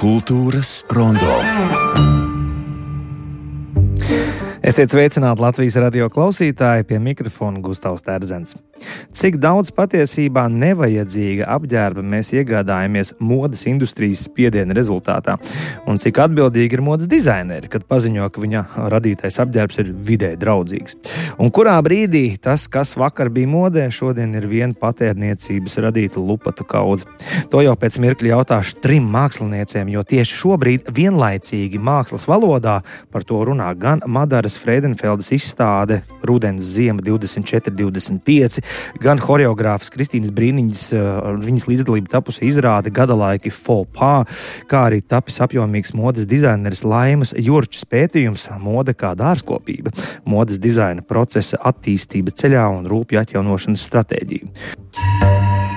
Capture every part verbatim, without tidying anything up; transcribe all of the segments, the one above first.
Kultūras rondo. Esiet sveicināti Latvijas radio klausītāji, pie mikrofona Gustavs Terzens. Cik daudz patiesībā nevajadzīga apģērba mēs iegādājamies modes industrijas spiediena rezultātā, un cik atbildīgi ir modes dizaineri, kad paziņo, ka viņa radītais apģērbs ir vidē draudzīgs. Un kurā brīdī tas, kas vakar bija modē, šodien ir viena patērniecības radīta lupatu kaudze. To jau pēc mirkļa jautāšu trim māksliniecēm, jo tieši šobrīd vienlaicīgi mākslas valodā par to runā gan Madaras Freidenfeldes izstāde Rudens ziema divdesmit četri divdesmit pieci, gan horeogrāfas Kristīnas Brīniņas ar viņas līdzdalību tapusi izrāde Gadalaiki Faux Pas, kā arī tapis apjomīgs modes dizaineris Laimas Jurčas pētījums Mode kā dārzkopība, modes dizaina procesa attīstība ceļā un rūpju atjaunošanas stratēģija.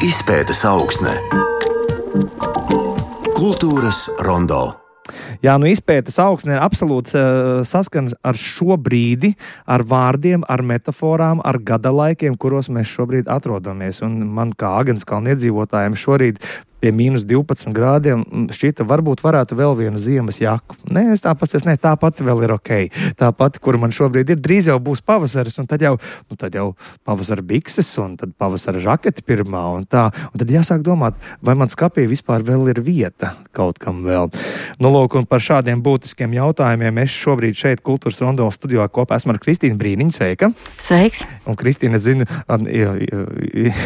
Izpētes augsne. Kultūras rondo. Jā, nu izpētes augsne ir absolūts uh, saskans ar šo brīdi, ar vārdiem, ar metaforām, ar gadalaikiem, kuros mēs šobrīd atrodamies. Un man kā Agenskalna iedzīvotājiem šorīt pie mīnus divpadsmit grādiem šķita, varbūt varētu vēl vienu ziemas jaku. Nē, es tāpat, es, ne, tā pati vēl ir ok. Tā pati, kur man šobrīd ir, drīz jau būs pavasaris, un tad jau, nu, tad jau pavasara bikses, un tad pavasara žaketi pirmā, un tā. Un tad jāsāk domāt, vai man skapī vispār vēl ir vieta kaut kam vēl. Nu, lūk, un par šādiem būtiskiem jautājumiem es šobrīd šeit Kultūras rondo studijā kopā esmu ar Kristīnu Brīniņu. Sveika! Sveiks! Un Kristīna, zinu,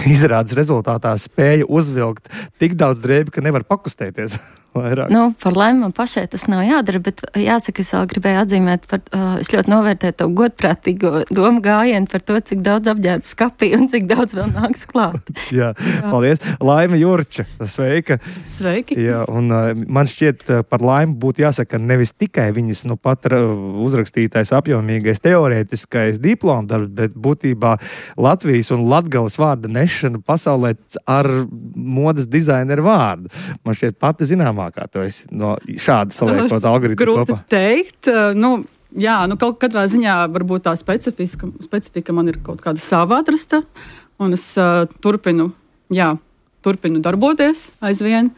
izrādes rezultātā spēja uzvilkt tik daudz daudz drēbi, ka nevar pakustēties. Nu, par laimi man pašai tas nav jādara, bet jāsaka, es vēl gribēju atzīmēt, par, uh, es ļoti novērtēju to godprātīgo domu gājienu par to, cik daudz apģērbu skapī un cik daudz vēl nāks klāt. Jā, Jā, paldies. Laima Jurča, sveika. Sveiki. Jā, un uh, man šķiet, par Laimu būtu jāsaka, nevis tikai viņas nu pat uzrakstītais apjomīgais teorētiskais diplomdarbs, bet būtībā Latvijas un Latgales vārda nešana pasaulē ar modes dizaineru vārdu. Man šķiet pati zināmā kā to esi no šāda saliekot algoritmu kopā? Grūti teikt. Nu, jā, nu kaut katrā ziņā varbūt tā specifika, specifika man ir kaut kāda sava atrasta, un es uh, turpinu, jā, turpinu darboties aizvien,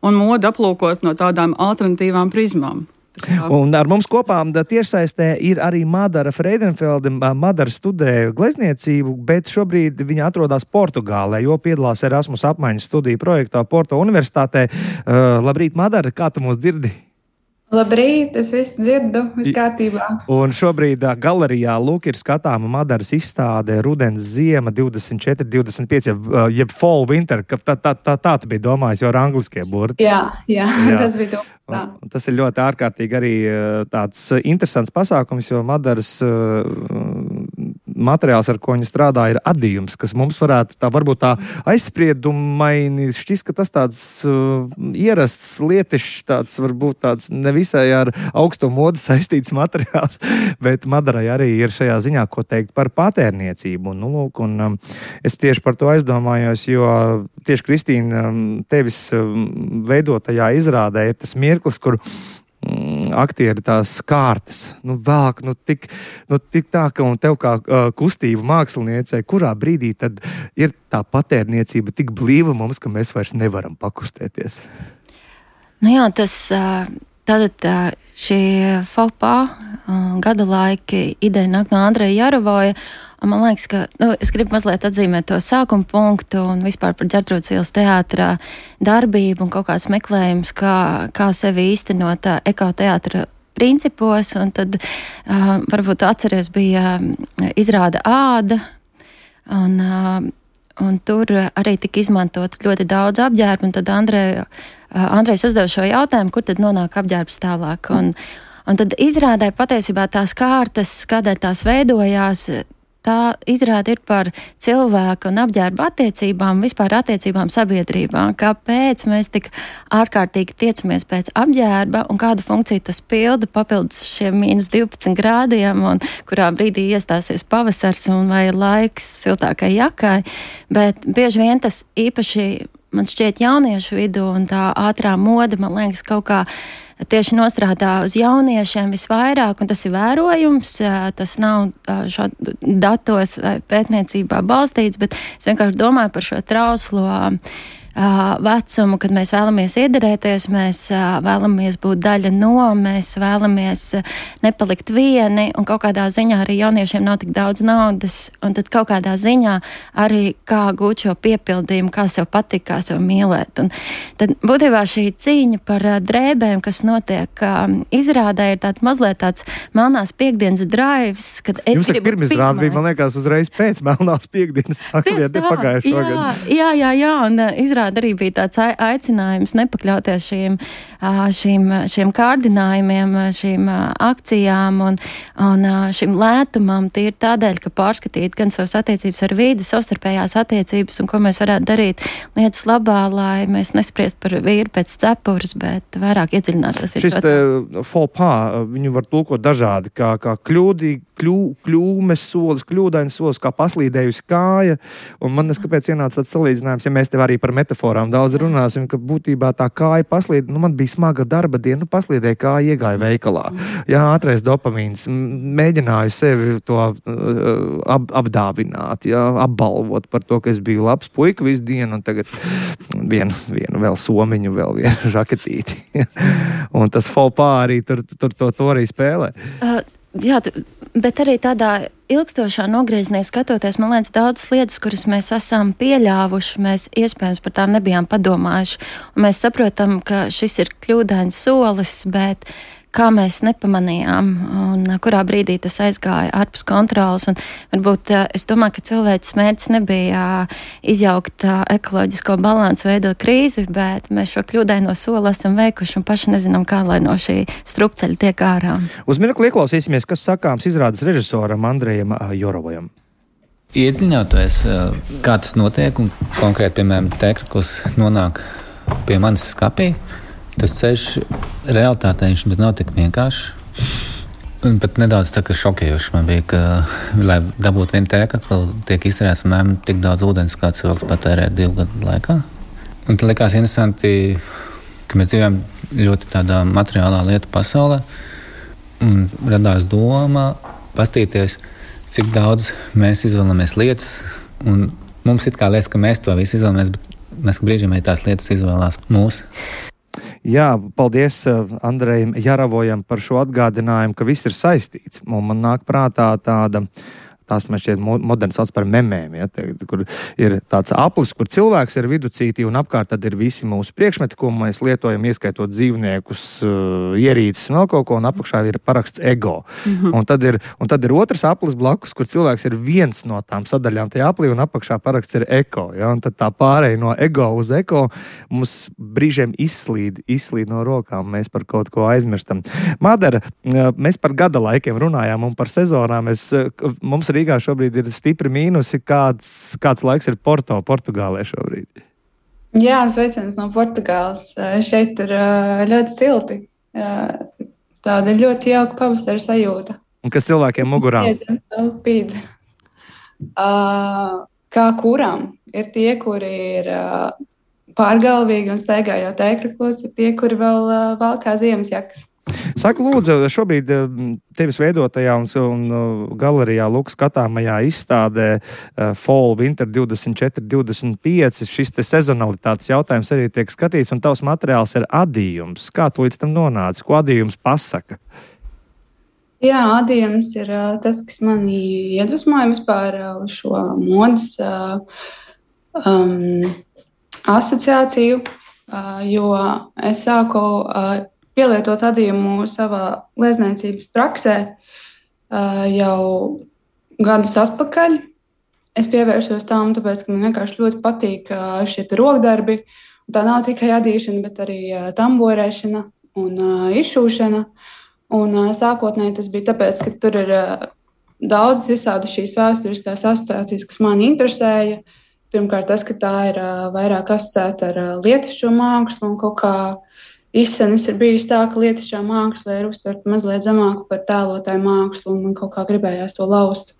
un modu aplūkot no tādām alternatīvām prizmām. Jā. Un ar mums kopā tiešsaistē ir arī Madara Freidenfelde. Madara studēja glezniecību, bet šobrīd viņa atrodas Portugālē, jo piedalās Erasmus apmaiņas studiju projektā Porto universitātē. Uh, labrīt, Madara, kā tu mūs dzirdi? Labrīt, es visu dzirdu, viss kārtībā. Un šobrīd galerijā lūk ir skatāma Madaras izstāde Rudens ziema divdesmit četri divdesmit pieci, jeb Fall Winter, ka tā, tā, tā, tā tu biji domājis, jo ar angliskie burti. Jā, jā, jā. Tas bija domājis tā. Un tas ir ļoti ārkārtīgi arī tāds interesants pasākums, jo Madaras materiāls, ar ko viņi strādā, ir adījums, kas mums varētu tā varbūt tā aizspriedumaini šķist, ka tas tāds uh, ierasts lietišs, tāds varbūt tāds nevisai ar augsto modu saistīts materiāls, bet Madarai arī ir šajā ziņā, ko teikt par patērniecību. Un, nu, lūk, un um, es tieši par to aizdomājos, jo tieši Kristīna, um, tevis um, veidotajā izrādē ir tas mirklis, kur aktieri tās kārtas, nu vēlāk, nu tik, nu tik tā, ka un tev kā uh, kustību māksliniecei, kurā brīdī tad ir tā patērniecība tik blīva mums, ka mēs vairs nevaram pakustēties? Nu jā, tas, tātad šī Faux Pas gada laiki ideja nāk no Andreja Jarovoja. Man liekas, ka nu, es gribu mazliet atzīmēt to sākuma punktu un vispār par Ģertrūdes ielas teātra darbību un kaut kāds meklējums, kā, kā sevi īstenot ekoteātra principos. Un tad uh, varbūt atceries bija izrāda āda un, uh, un tur arī tika izmantot ļoti daudz apģērbu. Un tad Andrej, uh, Andrejs uzdeva šo jautājumu, kur tad nonāk apģērbs tālāk. Un, un tad izrādē patiesībā tās kārtas, kādēļ tās veidojās, tā izrāda ir par cilvēku un apģērba attiecībām, vispār attiecībām sabiedrībā. Kāpēc mēs tik ārkārtīgi tiecamies pēc apģērba un kādu funkciju tas pilda papildus šiem mīnus divpadsmit grādiem un kurā brīdī iestāsies pavasars un vai ir laiks siltākai jakai. Bet bieži vien tas īpaši, man šķiet, jauniešu vidū un tā ātrā moda, man liekas, kaut kā tieši nostrādā uz jauniešiem visvairāk, un tas ir vērojums, tas nav šādi datos vai pētniecībā balstīts, bet es vienkārši domāju par šo trauslo uh, vecumu, kad mēs vēlamies iederēties, mēs uh, vēlamies būt daļa no, mēs vēlamies uh, nepalikt vieni, un kaut kādā ziņā arī jauniešiem nav tik daudz naudas, un tad kaut kādā ziņā arī kā gūt šo piepildījumu, kā sev patīk, kā sev mīlēt. Un tad būtībā šī cīņa par uh, drēbēm, kas notiek uh, izrādē, ir tāds mazliet tāds melnās piekdienas drives, kad es Jums gribu pirmizrāde bija, man liekas, uzreiz pēc melnās piekdienas, tā kā vieta pagājušo jā, gadu. Jā, jā, jā, un uh, izrāda arī bija tāds aicinājums nepakļauties šīm, uh, šīm, šiem kārdinājumiem, šīm uh, akcijām un, un uh, šim lētumam. Tie ir tādēļ, ka pārskatīt gan savas attiecības ar vīdi, savstarpējās attiecības un ko mēs varētu darīt lietas labā, lai mēs nespriest par vīru pēc cepures, bet vairāk iedziļinātos. Šis te faux pas, viņu var tulkot dažādi, kā, kā kļūdi, kļū, kļūmes solis, kļūdainas solis, kā paslīdējusi kāja, un man neskapēc ienāca tāds salīdzinājums, ja mēs tev arī par metaforām daudz runāsim, ka būtībā tā kāja paslīd, nu man bija smaga darba diena, nu paslīdēja kāja, iegāja veikalā. Jā, ātrais dopamīns, mēģināju sevi to ap, apdāvināt, jā, apbalvot par to, ka es biju labs puika visu dienu, un tagad vienu, vienu vēl somiņu, vēl vienu žaketīti. Un tas faux pas arī tur, tur to, to arī spēlē. Uh, jā, bet arī tādā ilgstošā nogriezienī skatoties, man liekas, daudzas lietas, kuras mēs esam pieļāvuši, mēs iespējams par tām nebijām padomājuši. Un mēs saprotam, ka šis ir kļūdains solis, bet kā mēs nepamanījām un kurā brīdī tas aizgāja ārpus kontrolas. Un varbūt es domāju, ka cilvēks mērķis nebija izjaukt ekoloģisko balansu, veidot krīzi, bet mēs šo kļūdaino soli esam veikuši un paši nezinām, kā lai no šī strupceļa tiek ārā. Uz mirkli ieklausīsimies, kas sakāms izrādes režisoram Andrejam Jorovojam. Iedziļinoties, kā tas notiek un konkrēti, piemēram, Tēkrakls nonāk pie manis skapī, tas ceļš realitātē viņš nav tik vienkāršs. Un pat nedaudz tā kā šokējoši man bija, ka, lai dabūtu vienu tēkakli, tiek izterēts mēram tik daudz ūdens, kā cilvēks patērē divu gadu laikā. Un tad likās interesanti, ka mēs dzīvojam ļoti tādā materiālā lietu pasaulē. Un radās doma pastīties, cik daudz mēs izvēlamies lietas. Un mums it kā liekas, ka mēs to visu izvēlamies, bet mēs brīžiem arī tās lietas izvēlās mūsu. Jā, paldies Andrejam Jaravojam par šo atgādinājumu, ka viss ir saistīts. Un man nāk prātā tāda, tās man šķiet moderni sauc par memēm, ja, te, kur ir tāds aplis, kur cilvēks ir viducītī un apkārt tad ir visi mūsu priekšmeti, ko mēs lietojam, ieskaitot dzīvniekus, ierīces un vēl kaut ko, un apakšā ir paraksts ego. Mm-hmm. Un, tad ir, un tad ir otrs aplis blakus, kur cilvēks ir viens no tām sadaļām tajā aplī, un apakšā paraksts ir eko. Ja, un tad tā pārēja no ego uz eko mums brīžiem izslīd, izslīd no rokām, mēs par kaut ko aizmirstam. Madara, mēs par gada laikiem runājām un par sezonām. Es, mums Rīgā šobrīd ir stipri mīnusi. Kāds, kāds laiks ir Porto, Portugālē šobrīd? Jā, sveiciens no Portugāles. Šeit ir ļoti silti. Tāda ļoti jauka pavasara sajūta. Un kas cilvēkiem mugurām? Spīd. Kā kuram? Ir tie, kuri ir pārgalvīgi un staigā jau tēkraklos, ir tie, kuri vēl valkā ziemasjakas. Saka, lūdzu, šobrīd tevis veidotajā un, un galerijā Luk skatāmajā izstādē uh, Fall Winter divdesmit četri divdesmit pieci, šis te sezonalitātes jautājums arī tiek skatīts, un tavs materiāls ir adījums. Kā tu līdz tam nonāci? Ko adījums pasaka? Jā, adījums ir uh, tas, kas mani iedvesmoja vispār uh, uz šo modas uh, um, asociāciju, uh, jo es sāku uh, pielietot adījumu savā glezniecības praksē uh, jau gadus atpakaļ. Es pievēršos tām, tāpēc, ka man vienkārši ļoti patīk uh, šie rokdarbi. Tā nav tikai adīšana, bet arī uh, tamborēšana un uh, izšūšana. Un uh, sākotnēji tas bija tāpēc, ka tur ir uh, daudz visādi šīs vēsturiskās asociācijas, kas mani interesēja. Pirmkārt, tas, ka tā ir uh, vairāk asociēta ar uh, lietišķo mākslu un kaut kā izsenis ir bijis tā, ka lietišķā māksla ir uztverta mazliet zemāku par tēlotāju mākslu, un man kaut kā gribējās to laust.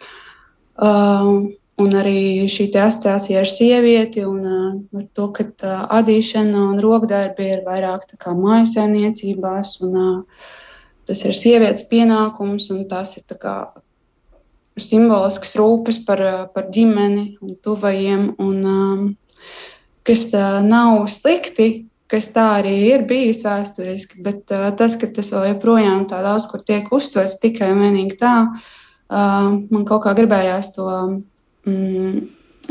Uh, un arī šī te asociācija ar sievieti, un uh, ar to, ka uh, adīšana un rokdarbi ir vairāk tā kā mājasēmniecībās, un uh, tas ir sievietes pienākums, un tas ir tā kā simbolisks rūpes par, par ģimeni un tuvajiem. Un, um, kas uh, nav slikti, kas tā arī ir bijis vēsturiski, bet uh, tas, ka tas vēl joprojām tā daudz, kur tiek uztverts tikai un vienīgi tā, uh, man kaut kā gribējās to mm,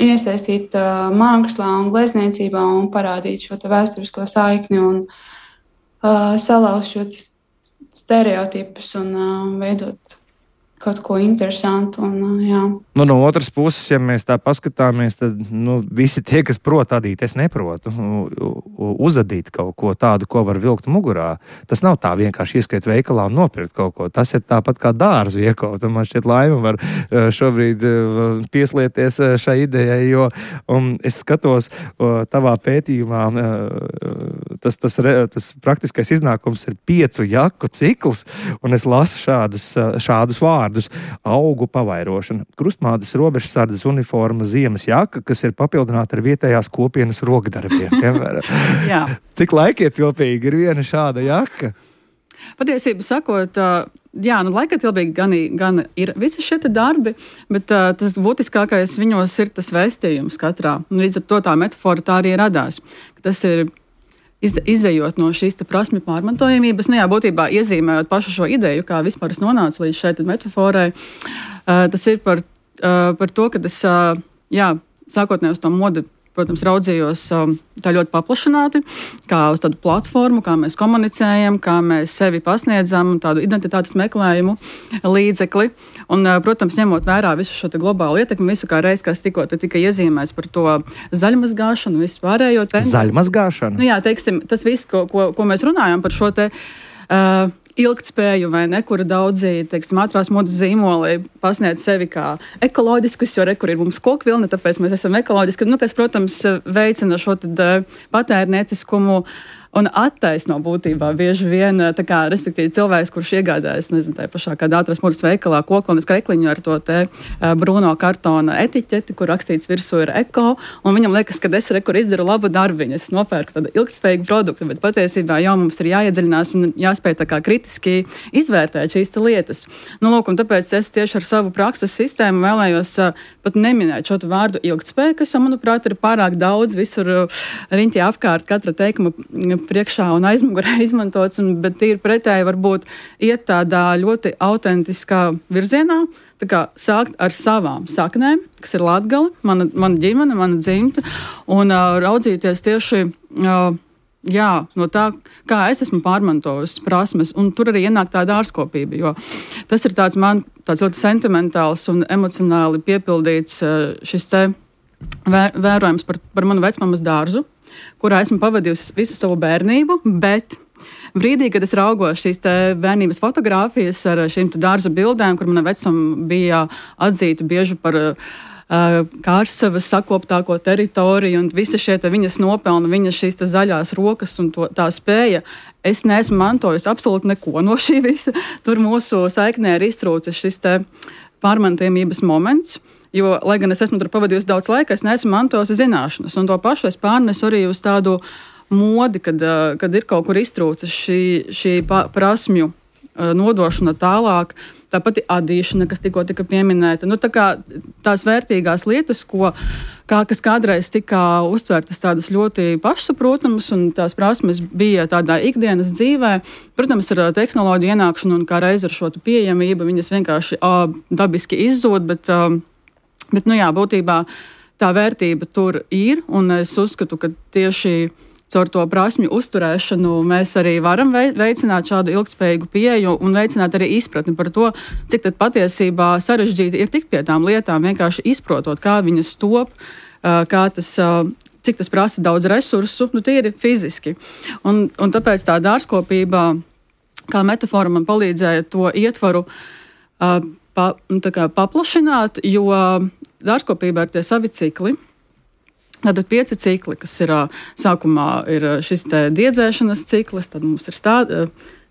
iesaistīt uh, mākslā un glezniecībā un parādīt šo te vēsturisko saikni un uh, salauzt šo stereotipus un uh, veidot kaut ko interesantu. Un, jā. Nu, no otras puses, ja mēs tā paskatāmies, tad nu, visi tie, kas prot adīt, es neprotu uzadīt kaut ko tādu, ko var vilkt mugurā. Tas nav tā vienkārši ieskait veikalā un nopirkt kaut ko. Tas ir tāpat kā dārzu iekaut. Un man šķiet Laima var šobrīd pieslieties šai idejai, jo um, es skatos tavā pētījumā, tas, tas, tas praktiskais iznākums ir piecu jaku cikls, un es lasu šādus, šādus vārdus. Augu pavairošana, krustmātes robežsardzes uniforma, ziemas jaka, kas ir papildināta ar vietējās kopienas rokdarbiem. Cik laikietilpīgi ir viena šāda jaka? Patiesību sakot, jā, nu laikietilpīgi gan, gan ir visi šie darbi, bet uh, tas būtiskākais viņos ir tas vēstījums katrā. Un līdz ar to tā metafora tā arī radās. Tas ir Iz, izejot no šīs prasmju pārmantojamības, nu jā, būtībā iezīmējot pašu šo ideju, kā vispār es nonācu līdz šai metaforai, uh, tas ir par, uh, par to, ka es, uh, jā, sākotnēji uz to modi, protams, raudzījos uh, tā ļoti paplašināti, kā uz tādu platformu, kā mēs komunicējam, kā mēs sevi pasniedzam, tādu identitātes meklējumu līdzekli. Un, uh, protams, ņemot vērā visu šo globālu ietekmi, visu kā reiz, kas tikko te tika iezīmēts par to zaļmazgāšanu, visu pārējo. Zaļmazgāšanu? Nu jā, teiksim, tas viss, ko, ko, ko mēs runājam par šo te uh, ilgtspēju, vai ne, kura daudzi, teiksim, ātrās modes zīmoli pasniedz sevi kā ekoloģiskus, jo re, kur ir mums kokvilne, tāpēc mēs esam ekoloģiski, nu, kas, protams, veicina šo tad patērnieciskumu un attaisno būtībā bieži vien, tā kā, respektīvi, cilvēks, kurš iegādājas, nezinu, tā pašā kādā ātrās modes veikalā kokvilnes krekliņu ar to te uh, brūno kartona etiķeti, kur rakstīts virsū ir eko, un viņam liekas, ka es re, kur izdaru labu darbiņu, es nopērku tādu ilgspējīgu produktu, bet patiesībā jau mums ir jāiedziļinās un jāspēj tā kā kritiski izvērtēt šīs lietas. Nu, lūk, un tāpēc es tieši ar savu prakses sistēmu vēlējos uh, pat neminēt šo vārdu ilgtspēju, kas jau, manuprāt, ir pārāk daudz visur uh, riņķī apkārt katra teikuma priekšā un aizmugurē izmantots, un, bet ir pretēji varbūt iet tādā ļoti autentiskā virzienā, tā kā sākt ar savām saknēm, kas ir Latgale, mana, mana ģimene, mana dzimta, un uh, raudzīties tieši uh, jā, no tā, kā es esmu pārmantojusi prasmes, un tur arī ienāk tā dārzkopība, jo tas ir tāds man tāds ļoti sentimentāls un emocionāli piepildīts uh, šis te vēr, vērojums par, par manu vecmammas dārzu, kurā esmu pavadījusi visu savu bērnību, bet brīdī, kad es raugos šīs bērnības fotogrāfijas ar šīm dārza bildēm, kur mana vecuma bija atzīta bieži par uh, Kārsavas sakoptāko teritoriju un visi šie viņas nopelni, viņas šīs zaļās rokas un to, tā spēja, es neesmu mantojusi absolūti neko no šī visa. Tur mūsu saiknē ir iztrūcis šis te pārmantojamības moments. Jo, lai gan es esmu tur pavadījusi daudz laika, es neesmu mantojusi zināšanas. Un to pašu es pārnesu arī uz tādu modi, kad, kad ir kaut kur iztrūcis šī, šī prasmju nodošana tālāk. Tāpat ir adīšana, kas tikko tika pieminēta. Nu, tā kā tās vērtīgās lietas, ko, kā, kas kādreiz tika uztvertas tādas ļoti pašsaprotamas, un tās prasmes bija tādā ikdienas dzīvē, protams, ar tehnoloģiju ienākšanu un kā reiz ar šo pieejamību, viņas vienkārši ā, dabiski izzūd, bet ā, Bet, nu jā, būtībā tā vērtība tur ir, un es uzskatu, ka tieši caur to prasmju uzturēšanu mēs arī varam veicināt šādu ilgspējīgu pieeju un veicināt arī izpratni par to, cik tad patiesībā sarežģīti ir tikt pie tām lietām, vienkārši izprotot, kā viņas top, kā tas, cik tas prasa daudz resursu, nu tīri fiziski. Un, un tāpēc tā dārzkopība, kā metafora, man palīdzēja to ietvaru Pa, tā kā paplašināt, jo dārzkopībā ir tie savi cikli. Tātad pieci cikli, kas ir sākumā ir šis te diedzēšanas ciklis, tad mums ir stā,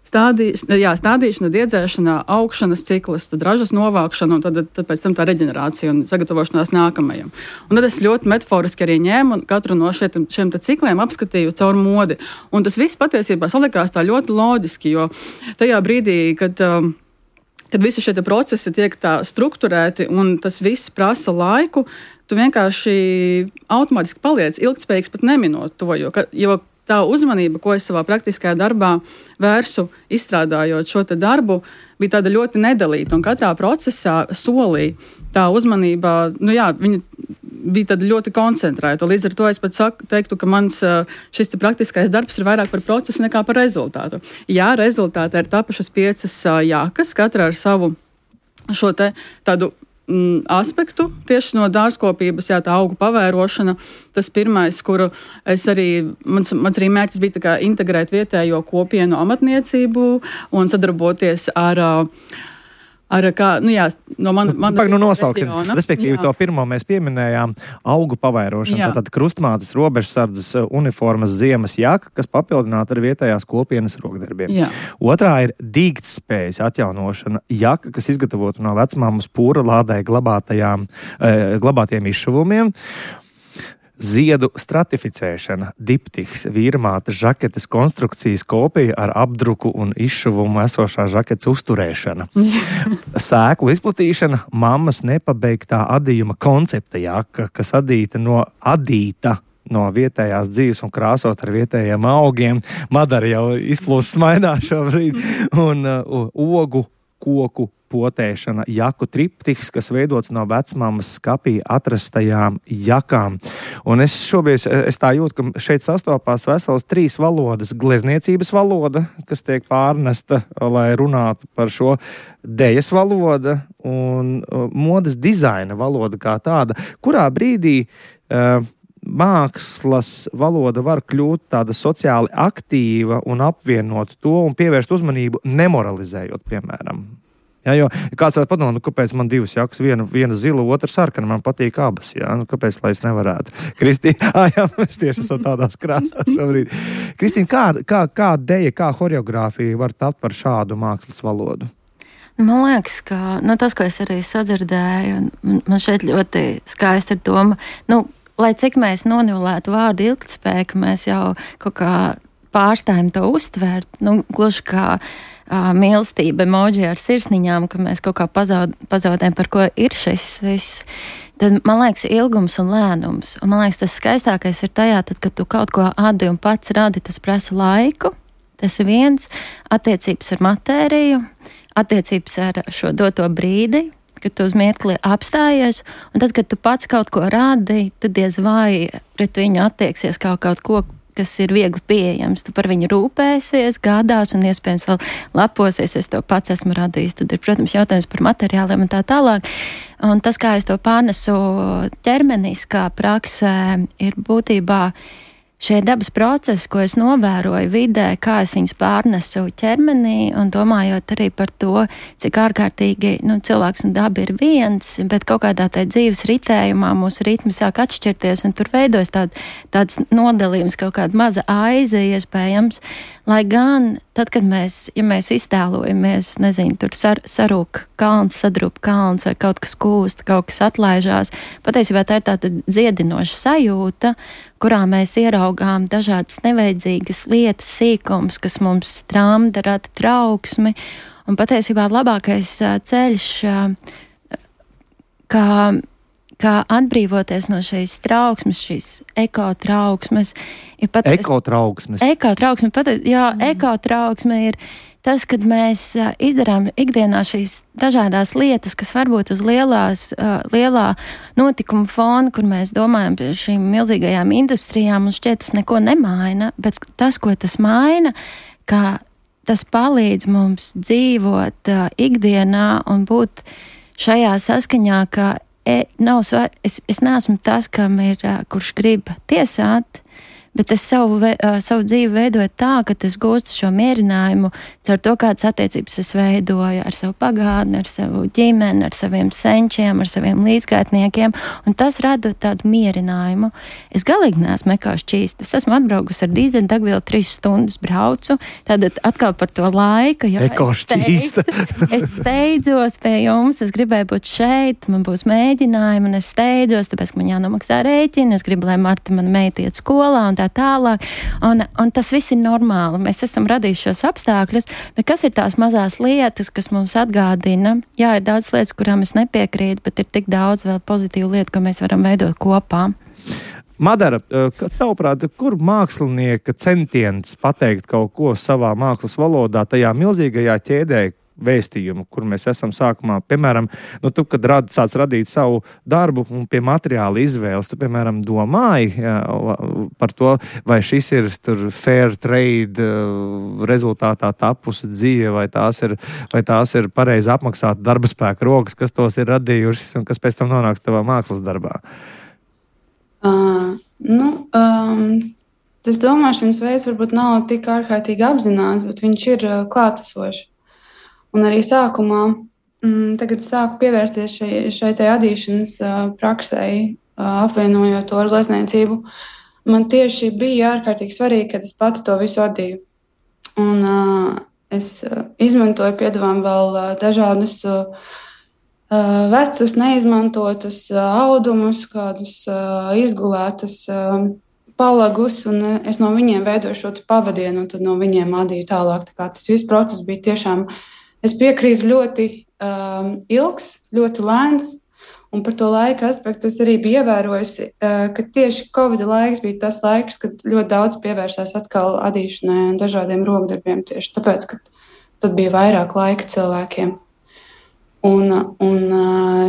stādī, jā, stādīšana, diedzēšana, augšanas ciklis, tad ražas novākšana un tad, tad pēc tam tā reģenerācija un sagatavošanās nākamajam. Un tad es ļoti metaforiski arī ņēmu un katru no šiem, šiem te cikliem apskatīju caur modi. Un tas viss patiesībā salikās tā ļoti loģiski, jo tajā brīdī, kad kad visi šie procesi tiek tā strukturēti un tas viss prasa laiku, tu vienkārši automātiski paliec ilgtspējīgs pat neminot to, jo, ka, jo tā uzmanība, ko es savā praktiskajā darbā vērsu, izstrādājot šo te darbu, bija tāda ļoti nedalīta, un katrā procesā solī tā uzmanība, nu jā, viņa bija tāda ļoti koncentrēta. Līdz ar to es pat saku, teiktu, ka mans šis te praktiskais darbs ir vairāk par procesu nekā par rezultātu. Jā, rezultātā ir tapušas piecas jākas, katra ar savu šo te tādu mm, aspektu, tieši no dārzkopības, jā, tā augu pavērošana, tas pirmais, kuru es arī, mans, mans arī mērķis bija tā kā integrēt vietējo kopienu amatniecību un sadarboties ar Ar kā, nu jā, no mana man, Pag, nu nosauksim. Respektīvi, jā. To pirmo mēs pieminējām augu pavērošanu. Jā. Tātad krustmātes, robežsardzes, uniformas, ziemas jaka, kas papildināta ar vietējās kopienas rokdarbiem. Jā. Otrā ir dīgtspējas atjaunošana. Jaka, kas izgatavota no vecmāmas pūra lādē glabātajām, eh, glabātiem izšuvumiem. Ziedu stratificēšana, diptiks, vīrmātes žaketes konstrukcijas kopija ar apdruku un izšuvumu esošā žaketes uzturēšana. Sēklu izplatīšana, mammas nepabeigtā adījuma koncepta jaka, kas adīta no adīta no vietējās dzīves un krāsot ar vietējiem augiem. Madara jau izplūst smaidā šobrīd. Un uh, ogu, koku potēšana, jaku triptiks, kas veidots no vecmāmas skapī atrastajām jakām. Un es šobrīd, es tā jūtu, ka šeit sastopās veselas trīs valodas. Glezniecības valoda, kas tiek pārnesta, lai runātu par šo dejas valoda un modes dizaina valoda kā tāda, kurā brīdī uh, mākslas valoda var kļūt tāda sociāli aktīva un apvienot to un pievērst uzmanību nemoralizējot, piemēram. Jā, jo kāds varētu padomāt, nu, kāpēc man divas jakas, viena, viena zila, otra sarkana, man patīk abas, jā, nu, kāpēc, lai es nevarētu? Kristīna, ā, jā, mēs tieši esam tādās krāsās šobrīd. Kristīna, kā, kā, kā deja, kā horeogrāfija var tapt par šādu mākslas valodu? Man liekas, ka nu, tas, ko es arī sadzirdēju, un man šeit ļoti skaisti ir doma, nu, lai cik mēs nonivelētu vārdu ilgtspēja, ka mēs jau kaut kā pārstājam to uztvērt, nu, gluži kā Uh, mīlestība, emoji ar sirsniņām, ka mēs kaut kā pazaud, pazaudējam, par ko ir šis viss. Tad, man liekas, ilgums un lēnums. Un man liekas, tas skaistākais ir tajā, tad, kad tu kaut ko adi un pats radi, tas prasa laiku. Tas ir viens, attiecības ar matēriju, attiecības ar šo doto brīdi, kad tu uz mirkli apstājies, un tad, kad tu pats kaut ko radi, tad diez vai pret viņu attieksies kā kaut ko, kas ir viegli pieejams. Tu par viņu rūpēsies, gādās un iespējams vēl leposies, es to pats esmu radījis. Tad ir, protams, jautājums par materiāliem un tā tālāk. Un tas, kā es to pārnesu ķermeniskā praksē, ir būtībā šie dabas procesi, ko es novēroju vidē, kā es viņus pārnesu ķermenī un domājot arī par to, cik ārkārtīgi nu, cilvēks un daba ir viens, bet kaut kādā tā dzīves ritējumā mūsu ritmi sāk atšķirties un tur veidojas tād, tāds nodalījums, kaut kāda maza aize iespējams, lai gan tad, kad mēs, ja mēs iztēlojamies, nezinu, tur sar, sarūk kalns, sadrūp kalns vai kaut kas kūst, kaut kas atlaižās, patiesībā tā ir tāda dziedinoša sajūta, kurā mēs ieraugām dažādas nevajadzīgas lietas, sīkums, kas mums tramda, rada trauksmi. Un patiesībā labākais ceļš, kā, kā atbrīvoties no šīs trauksmes, šīs ekotrauksmes, ir patiesībā... Ekotrauksmes? Ekotrauksme, pat, jā, mm. ekotrauksme ir tas, kad mēs izdarām ikdienā šīs dažādās lietas, kas varbūt uz lielās, lielā notikuma fona, kur mēs domājam par šīm milzīgajām industrijām, un šķiet tas neko nemaina, bet tas, ko tas maina, ka tas palīdz mums dzīvot ikdienā un būt šajā saskaņā, ka e, nav svar, es, es neesmu tas, kam ir, kurš grib tiesāt, bet es savu, savu dzīvi veidoju tā, ka es gūstu šo mierinājumu caur to, kādas attiecības es veidoju ar savu pagātni, ar savu ģimeni, ar saviem senčiem, ar saviem līdzgaitniekiem, un tas rada tādu mierinājumu. Es galīgi neesmu ekā šķīsta. Es esmu atbraukusi ar dīzeļu degvielu trīs stundas braucu, tad atkal par to laiku. Eko šķīsta. Es steidzos pie jums, es gribēju būt šeit, man būs mēģinājumi, un es steidzos, tāpēc, ka man jānomaksā rēķini, es gribu, lai Marta man meita iet skolā, un tā tā tālāk. Un, un tas viss ir normāli. Mēs esam radījuši šos apstākļus, bet kas ir tās mazās lietas, kas mums atgādina? Jā, ir daudz lietas, kurām es nepiekrītu, bet ir tik daudz vēl pozitīvu lietu, ko mēs varam veidot kopā. Madara, tavuprāt, kur mākslinieka centiens pateikt kaut ko savā mākslas valodā, tajā milzīgajā ķēdē vēstījumu, kur mēs esam sākumā, piemēram, nu, tu, kad rad, sāc radīt savu darbu un pie materiāla izvēles, tu, piemēram, domāji jā, par to, vai šis ir tur fair trade rezultātā tapusi dzīve, vai tās ir, vai tās ir pareizi apmaksāta darba spēka rokas, kas tos ir radījušas un kas pēc tam nonāks tavā mākslas darbā. Uh, nu, um, tas domāšanas veids varbūt nav tik ārkārtīgi apzināts, bet viņš ir uh, klātesošs. Un arī sākumā, mm, tagad sāku pievērsties šai, šai tai adīšanas uh, praksei, uh, apvienojot to ar glezniecību. Man tieši bija ārkārtīgi svarīgi, kad es pati to visu adīju. Un uh, es uh, izmantoju piedāvām vēl uh, dažādus uh, vecus, neizmantotus uh, audumus, kādus uh, izgulētus uh, palagus, un es no viņiem veidoju šo pavadienu, un tad no viņiem adīju tālāk. Tā kā tas viss process bija tiešām, es piekrītu, ļoti um, ilgs, ļoti lēns, un par to laika aspektu es arī biju ievērojusi, uh, ka tieši Covid laiks bija tas laiks, kad ļoti daudz pievērsās atkal adīšanai un dažādiem rokdarbiem, tieši tāpēc, ka tad bija vairāk laika cilvēkiem. Un, un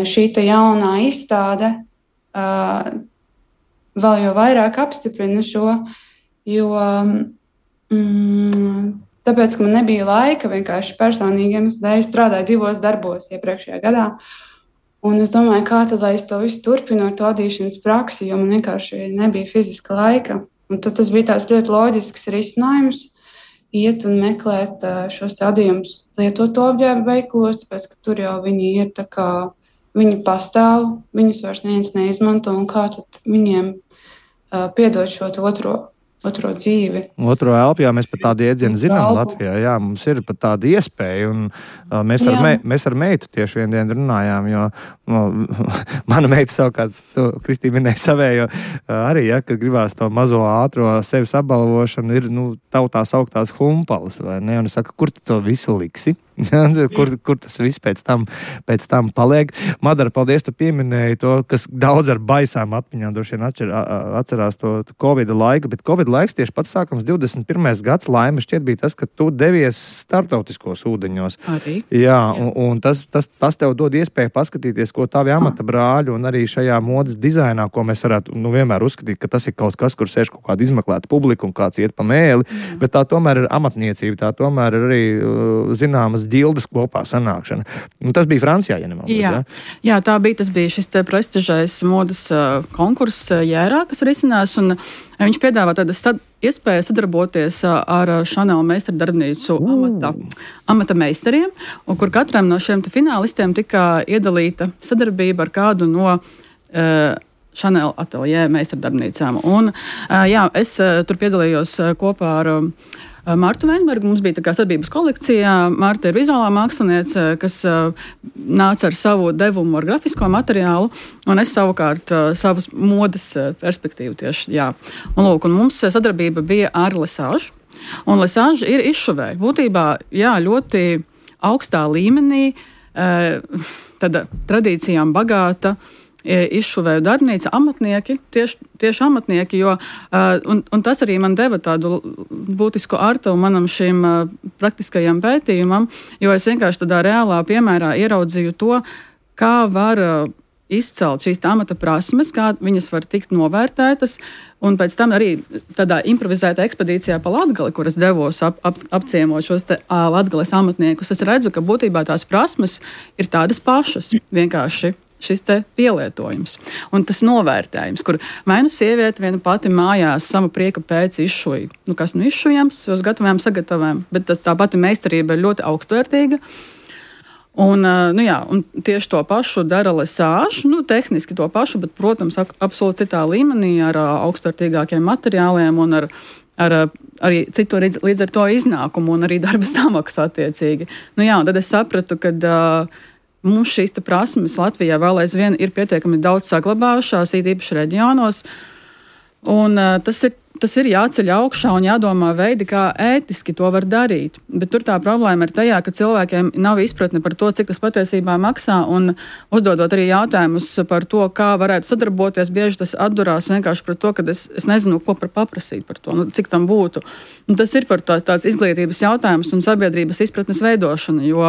šī te jaunā izstāde uh, vēl jau vairāk apstiprina šo, jo mm, tāpēc, ka man nebija laika vienkārši personīgiem, es strādāju divos darbos iepriekšējā gadā. Un es domāju, kā tad, lai es to visu turpinu ar to adīšanas praksi, jo man vienkārši nebija fiziska laika. Un tad tas bija tāds ļoti loģisks risinājums. Iet un meklēt šos adījumus lietoto apģērbu veikalos, tāpēc, ka tur jau viņi ir tā kā, viņi pastāv, viņus vairs neviens neizmanto, un kā tad viņiem uh, piedot šo otro, otro dzīvi. Otro elpu, jā, mēs pat tādu iedzienu zinām Latvijā, jā, mums ir pat tāda iespēja, un uh, mēs, ar me, mēs ar meitu tieši vien dienu runājām, jo uh, mana meita savukārt, tu, Kristīna minēja savējo, uh, arī, ja, kad gribās to mazo ātro sevis apbalvošanu, ir, nu, tautā sauktās humpalas, vai ne, un es saku, kur tu to visu liksi? kur, kur tas viss pēc tam, pēc tam paliek. Madara, paldies, tu pieminēji to, kas daudz ar baisām atmiņām droši vien atcer, atcerās to, to Covid laiku, bet Covid laiks tieši pats sākums divdesmit pirmais gads laime šķiet bija tas, ka tu devies starptautiskos ūdeņos. Arī. Jā, un, un tas, tas, tas tev dod iespēju paskatīties, ko tavi amata brāļi un arī šajā modes dizainā, ko mēs varētu nu, vienmēr uzskatīt, ka tas ir kaut kas, kur sēž kaut kāda izmeklēta publika un kāds iet pa mēli, mm. bet tā tomēr ir amatniecība, tā tomēr ir arī uh, zināmas ģildes kopā sanākšana. Un tas bija Francijā, ja nemaldos, jā. Jā? Jā, tā bija, tas bija šis te prestižais modas uh, konkurss uh, Jērā, kas risinās, un uh, viņš piedāvā tādas sad, iespējas sadarboties uh, ar Chanel meistardarbnīcu uh. amata, amata meistariem, un kur katram no šiem finālistiem tika iedalīta sadarbība ar kādu no uh, Chanel ateljē meistardarbnīcām. Un uh, jā, es uh, tur piedalījos uh, kopā ar uh, Martu Veinbergu. Mums bija tā kā sadarbības kolekcijā. Marta ir vizuālā māksliniece, kas uh, nāca ar savu devumu ar grafisko materiālu, un es savukārt uh, savas modes uh, perspektīvu tieši, jā. Un lūk, un mums sadarbība bija ar Lesāžu, un Lesāža ir izšuvēja. Būtībā, jā, ļoti augstā līmenī, uh, tāda tradīcijām bagāta, izšuvēju darbnīca, amatnieki, tieši, tieši amatnieki, jo, uh, un, un tas arī man deva tādu būtisku artavu manam šim uh, praktiskajam pētījumam, jo es vienkārši tādā reālā piemērā ieraudzīju to, kā var uh, izcelt šīs amata prasmes, kā viņas var tikt novērtētas, un pēc tam arī tādā improvizētā ekspedīcijā pa Latgali, kur es devos ap, ap, apciemot šos te uh, Latgales amatniekus, es redzu, ka būtībā tās prasmes ir tādas pašas, vienkārši šis te pielietojums un tas novērtējums, kur vai nu sieviete viena pati mājās sama prieka pēc izšuja, nu kas nu izšujams, uz gatavām sagatavām, bet tas, tā pati meistarība ir ļoti augstvērtīga. Un, nu jā, un tieši to pašu dara Lesāža, nu tehniski to pašu, bet, protams, absolūti citā līmenī ar augstvērtīgākiem materiāliem un ar, ar arī citu līdz ar to iznākumu un arī darba samaksu attiecīgi. Nu jā, un tad es sapratu, ka uh, mums šīs prasmes Latvijā vēl aizvien ir pietiekami daudz saglabājušās, īpaši reģionos. Un uh, tas ir tas ir jāceļ augšā un jādomā veidi, kā ētiski to var darīt. Bet tur tā problēma ir tajā, ka cilvēkiem nav izpratne par to, cik tas patiesībā maksā, un uzdodot arī jautājumus par to, kā varētu sadarboties, bieži tas atdurās vienkārši par to, ka es, es nezinu, ko par paprasīt par to, nu, cik tam būtu. Un tas ir par tā, tāds izglītības jautājums un sabiedrības izpratnes veidošana, jo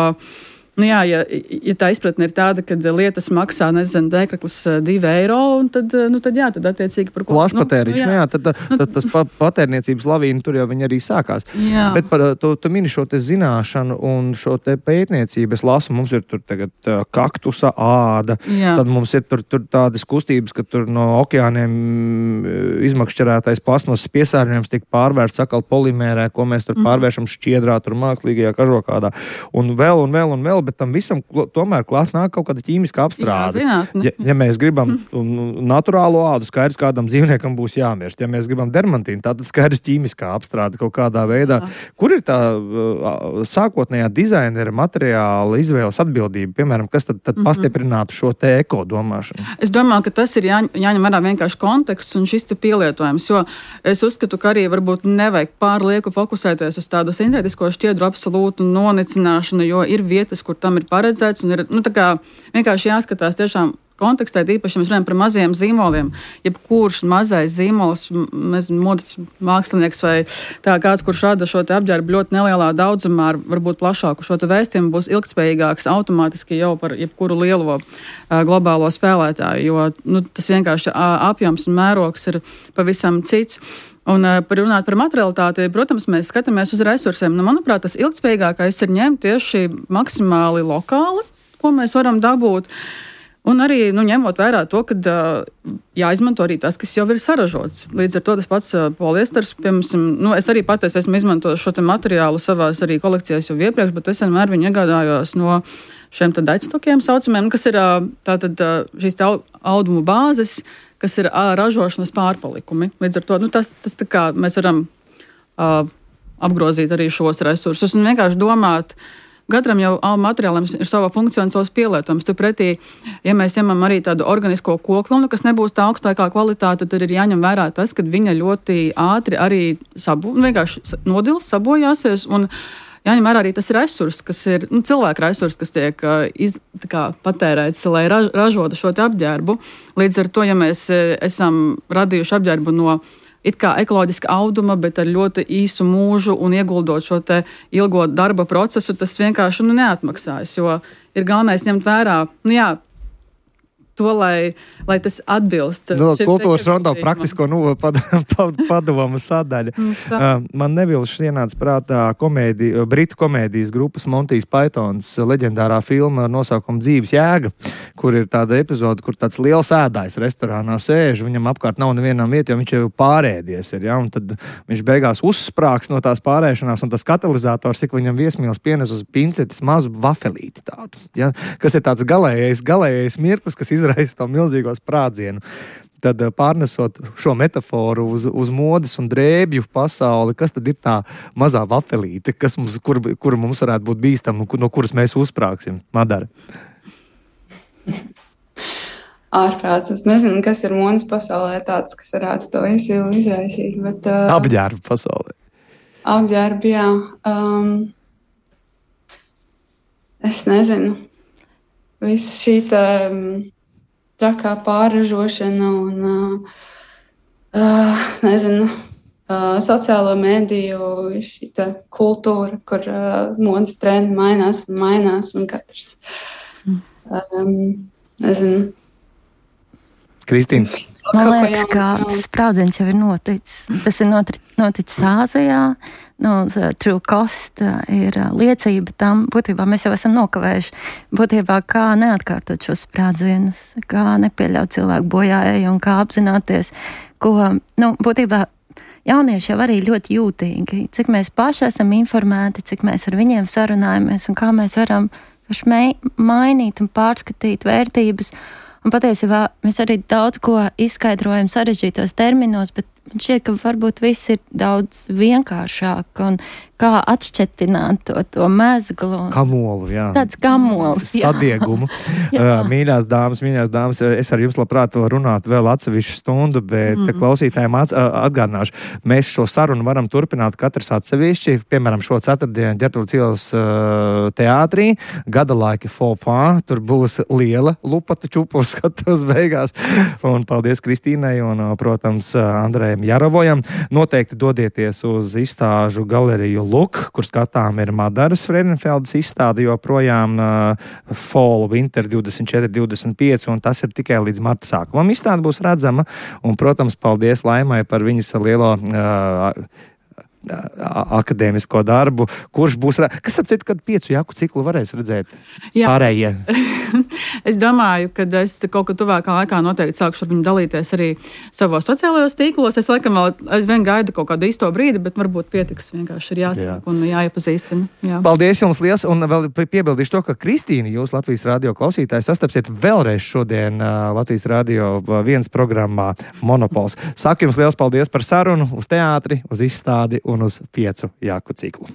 Nu jā, ja, ja tā izpratne ir tāda, ka lietas maksā, nezinu, dēkraklis divi eiro, tad, nu tad jā, tad attiecīgi par ko... Plašpatēriņš, nu, nu, jā, jā tad, tad, tad tas patērniecības lavīna tur jau viņi arī sākās. Jā. Bet par tu, tu mini šo te zināšanu un šo te pētniecību, es lasu, mums ir tur tagad kaktusa āda, jā. Tad mums ir tur, tur tādas kustības, ka tur no okeāniem izmakšķerētais plasmasas piesārņojums tiek pārvērsts atkal polimērē, ko mēs tur pārvēršam šķiedrā, tur mākslīgajā kažokādā. Un vēl un vēl un vēl, bet tam visam tomēr klāt nāk kaut kāda ķīmiska apstrāde. Jā, ja, ja mēs gribam mm. naturālo ādu, skaidrs, kādam dzīvniekam būs jāmirst. Ja mēs gribam dermantīnu, tātad skaidrs ķīmiskā apstrāde kaut kādā veidā. Jā. Kur ir tā uh, sākotnējā dizainera materiāla izvēles atbildība, piemēram, kas tad, tad mm-hmm. pastiprinātu šo te eko domāšanu? Es domāju, ka tas ir jā, jāņem vērā vienkārši konteksts un šis te pielietojums, jo es uzskatu, ka arī varbūt nevajag pārlieku fokusēties uz tādu sintētisko šķiedru absolūtu nonicināšanu, jo ir vietas, kur tam ir paredzēts, un ir, nu, tā kā vienkārši jāskatās tiešām kontekstā, īpaši, ja mēs runājam par mazajiem zīmoliem. Jebkurš mazais zīmols, nezinu, modes mākslinieks vai tā kāds, kurš rada šo te apģērbu ļoti nelielā daudzumā, ar varbūt plašāku šo te vēstījumu, būs ilgtspējīgāks automātiski jau par jebkuru lielo uh, globālo spēlētāju, jo nu, tas vienkārši uh, apjoms un mērogs ir pavisam cits. Un par runāt par materialitāti, protams, mēs skatāmies uz resursiem. Nu, manuprāt, tas ilgtspējīgākais ir ņemt tieši maksimāli lokāli, ko mēs varam dabūt. Un arī nu, ņemot vērā to, ka uh, jāizmanto arī tas, kas jau ir saražots. Līdz ar to tas pats uh, poliesters, piemēram, nu, es arī pateicu, esmu izmantojis šo te materiālu savās arī kolekcijās jau iepriekš, bet es vienmēr viņu iegādājos no šiem tad daļstokiem saucamiem, kas ir uh, tātad uh, šīs te audumu bāzes, kas ir uh, ražošanas pārpalikumi. Līdz ar to nu, tas, tas tā kā mēs varam uh, apgrozīt arī šos resursus un vienkārši domāt, katram jau materiālam ir sava funkcija un savs pielietojums. Turpretī, ja mēs ņemam arī tādu organisko kokvilnu, kas nebūs tā augstākā kvalitāte, tad ir jāņem vērā tas, ka viņa ļoti ātri arī sabo, vienkārši nodils, sabojāsies un jāņem vērā arī tas resurs, kas ir nu, cilvēka resurs, kas tiek uh, iz, kā, patērēts, lai raž, ražotu šo te apģērbu. Līdz ar to, ja mēs uh, esam radījuši apģērbu no it kā ekoloģiska auduma, bet ar ļoti īsu mūžu un ieguldot šo te ilgo darba procesu, tas vienkārši nu, neatmaksājas, jo ir galvenais ņemt vērā, nu jā, to, lai, lai tas atbilst. No, kultūras rondo praktisko nu, pad, pad, padomu sadaļa. Uh, man nevilši ienāca prātā komēdi, britu komēdijas grupas Monty's Pythons leģendārā filma ar nosaukumu Dzīves jēga, kur ir tāda epizode, kur tāds liels ēdājs restorānā sēž, viņam apkārt nav nevienam vieta, jo viņš jau pārēdies ir, ja, un tad viņš beigās uzsprāks no tās pārēšanās, un tas katalizators, cik viņam viesmīls pienes uz pincetes mazu vafelīti tādu, ja, kas ir tāds galējais, galējais mirklis, kas izraisa to milzīgo sprādzienu. Tad pārnesot šo metaforu uz, uz modes un drēbju pasauli, kas tad ir tā mazā vafelīte, kas mums, kur, kur mums varētu būt bīstama, no kuras mēs uzsprāksim? Madara. Ārprāts. Es nezinu, kas ir modes pasaulē tāds, kas varētu to visu izraisīt. Bet, uh, apģērbu pasaulē. Apģērbu, jā. Um, es nezinu. Viss šī tā... Um, trakā pārražošana un, uh, uh, nezinu, uh, sociālo mēdīju šita kultūra, kur uh, modes trendi mainās un mainās, un katrs, um, nezinu. Kristīna. Man liekas, ka tas sprādziens jau ir noticis. Tas ir noticis Āzijā. Nu, True Cost ir liecība tam. Būtībā mēs jau esam nokavējuši. Būtībā kā neatkārtot šos sprādzienus, kā nepieļaut cilvēku bojāēju un kā apzināties, ko, nu, būtībā jaunieši jau arī ļoti jūtīgi. Cik mēs paši esam informēti, cik mēs ar viņiem sarunājamies un kā mēs varam mainīt un pārskatīt vērtības. Un patiesībā mēs arī daudz ko izskaidrojam sarežģītos terminos, bet man šķiet, ka varbūt viss ir daudz vienkāršāk un kā atšķetināt to, to mezglu. Kamolu, jā. Tāds kamols, jā. Sadiegumu. Mīļās dāmas, mīļās dāmas, es ar jums labprāt vēl runāt vēl atsevišķu stundu, bet mm. klausītājiem atgādināšu. Mēs šo sarunu varam turpināt katrs atsevišķi. Piemēram, šo ceturtdienu Ģertrūdes ielas teātrī. Gada laika fopā. Tur būs liela lupata čupus skatos beigās. Un paldies Kristīnai un, protams, Andrejam Jarovojam. Noteikti dodieties uz izstāžu galeriju Luk, kur skatām ir Madaras Fredenfeldas izstāde joprojām uh, Fall Winter divdesmit četri divdesmit pieci, un tas ir tikai līdz marta sākumam. Izstāde būs redzama, un, protams, paldies Laimai par viņas lielo uh, akadēmisko darbu, kurš būs, kas ap citu, kad piecu jaku ciklu varēs redzēt Jā. Pārējie? Es domāju, ka es kaut kad tuvākā laikā noteikti sākšu ar viņu dalīties arī savos sociālajos tīklos. Es laikam vēl aizvien gaidu kaut kādu īsto brīdi, bet varbūt pietiks vienkārši ir jāsāk Jā. Un jāiepazīstina. Jā. Paldies jums liels, un vēl piebildīšu to, ka Kristīna, jūs Latvijas radio klausītāji, sastapsiet vēlreiz šodien uh, Latvijas radio viens programmā Monopols. Saku jums liels paldies par sarunu uz teātri, uz izstādi un uz piecu jaku ciklu.